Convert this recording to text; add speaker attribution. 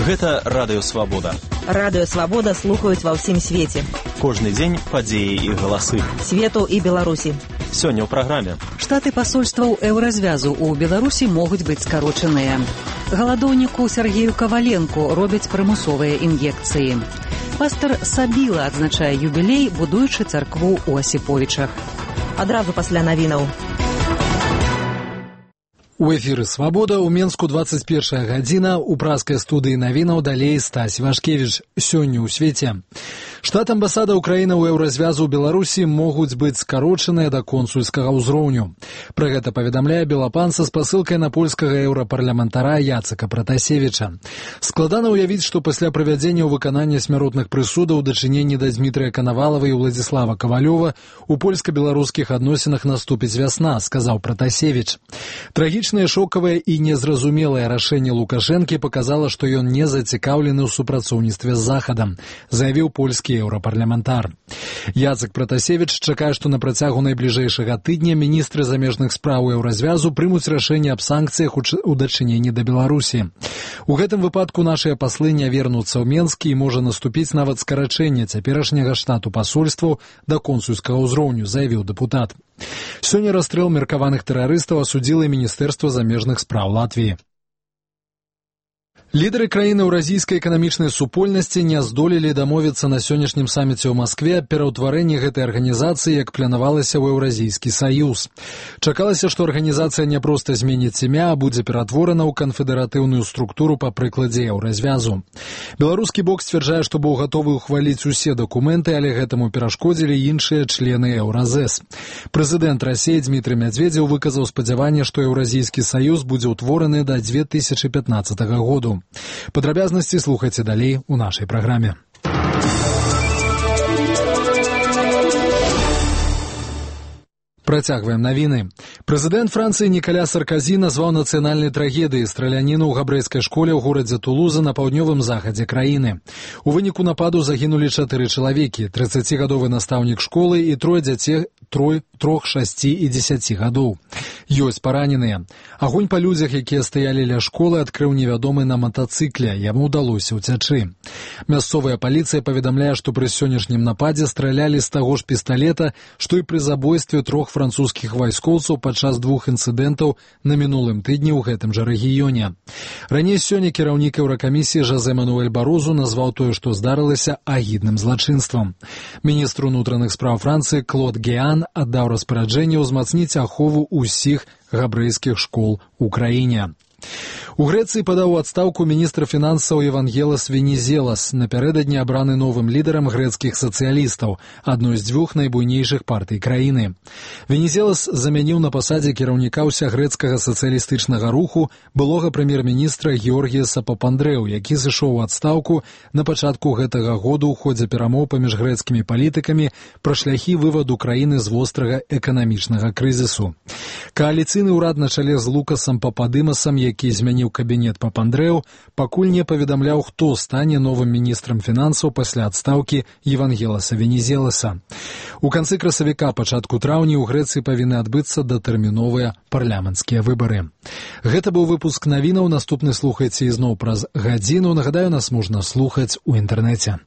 Speaker 1: Гэта Радыё Свабода.
Speaker 2: Радыё Свабода слухаюць ва ўсім свеце.
Speaker 1: Кожны дзень падзеі і галасы.
Speaker 2: Свету і Беларусі.
Speaker 1: Сёння ў праграме.
Speaker 3: Штаты пасольстваў еўразвязу ў Беларусі могуць быць скарочаныя. Галадоўніку Сергею Каваленку робяць прымусовыя ін'екцыі. Пастар Сабіла адзначае юбілей, будуючы царкву ў Асіповічах.
Speaker 2: Адразу пасля навінаў.
Speaker 4: У эфіры «Свабода» ў Менску 21 гадзіна, у праскай студыі навінаў далей Стась Вашкевіч. Сёння ў свеце. Штат амбасада Украіны ў еўразвязу ў Беларусі могуць быць скарочаныя да консульскага ўзроўню. Пра гэта паведамляе Белапанца з пасылкай на польскага еўрапарламентара Яцека Пратасевіча. Складана ўявіць, што пасля правядзення ў выканання смяротных прысудаў дачыненні да Дмітрыя Канавалава і Уладзіслава Кавалёва у польска-беларускіх адносінах наступіць вясна, сказаў Пратасевіч. Трагічнае, шокавае і незразумелае рашэнне Лукашэнкі паказала, што ён не зацікаўлены ў супрацоўніцтве з Захадам, заявіў польскі еўрапарламентар. Яцек Пратасевіч чакае, што на працягу найбліжэйшага тыдня міністры замежных спраў еўразвязу прымуць рашэнне аб санкцыях у дачыненні да Беларусі. У гэтым выпадку нашыя паслы не вернуцца ў Менск і можа наступіць нават скарачэнне цяперашняга штату пасольстваў да консульскага ўзроўню, заявіў дэпутат. Сёння расстрэл меркаваных тэрарыстаў асудзіла Міністэрства замежных спраў Латвіі. Лідары краін еўразійскай эканамічнай супольнасці не здолелі дамовіцца на сённяшнім саміце ў Маскве аб пераўтварэнні гэтай арганізацыі, як планавалася ў Еўразійскі саюз. Чакалася, што арганізацыя не проста зменіць імя, а будзе ператворана ў канфедэратыўную структуру па прыкладзе еўразвязу. Беларускі бок сцвярджае, што быў гатовы ўхваліць усе дакументы, але гэтаму перашкодзілі іншыя члены Еўразэс. Прэзідэнт Расіі Дмітрый Мядзведзеў выказаў спадзяванне, што Еўразійскі саюз будзе ўтвораны да 2015 году. Падрабязнасці слухайце далей у нашай праграме. Працягваем навіны. Прэзідэнт Францыі Нікаля Сарказі назваў нацыянальнай трагедыяй страляніну ў габрэйскай школе ў горадзе Тулуза на паўднёвым захадзе краіны. У выніку нападу загінулі 4 чалавекі, 30-гадовы настаўнік школы і 3 дзяцей 3, 6 і 10 гадоў. Ёсць параненыя. Агонь па людзях, якія стаялі ля школы, адкрыў невядомы на матацыкле. Яму ўдалося ўцячы. Мясцовая паліцыя паведамляе, што пры сённяшнім нападзе стралялі з таго ж пісталета, што і пры забойстве 3 французскіх вайскоўцаў падчас 2 інцыдэнтаў на мінулым тыдні ў гэтым жа рэгіёне. Раней сёння кіраўнік Еўракамісіі Жозе Мануэль Барозу назваў тое, што здарылася, агідным злачынствам. Міністр унутраных спраў Францыі Клод Геан аддаў распараджэнне ўзмацніць ахову ўсіх габрэйскіх школ у краіне. У Грэцыі падаў у адстаўку міністр фінансаў Евангелас Венізелас, напярэдадні абраны новым лідарам грэцкіх сацыялістаў, адной з 2 найбуйнейшых партый краіны. Венізелас замяніў на пасадзе кіраўніка ўсягрэцкага сацыялістычнага руху былога прэм'ер-міністра Георгіяса Папандрэу, які сышоў у адстаўку на пачатку гэтага года ў ходзе перамоў паміж грэцкімі палітыкамі пра шляхі вываду краіны з вострага эканамічнага крызісу. Кааліцыйны ўрад на чале з Лукасам Пападымасам, які змяніў кабінет Папандрэу, пакуль не паведамляў, хто стане новым міністрам фінансаў пасля адстаўкі Евангеласа Венізеласа. У канцы красавіка, пачатку траўня ў Грэцыі павінны адбыцца датэрміновыя парламенцкія выбары. Гэта быў выпуск навінаў, наступны слухайце ізноў праз гадзіну. Нагадаю, нас можна слухаць у інтэрнэце.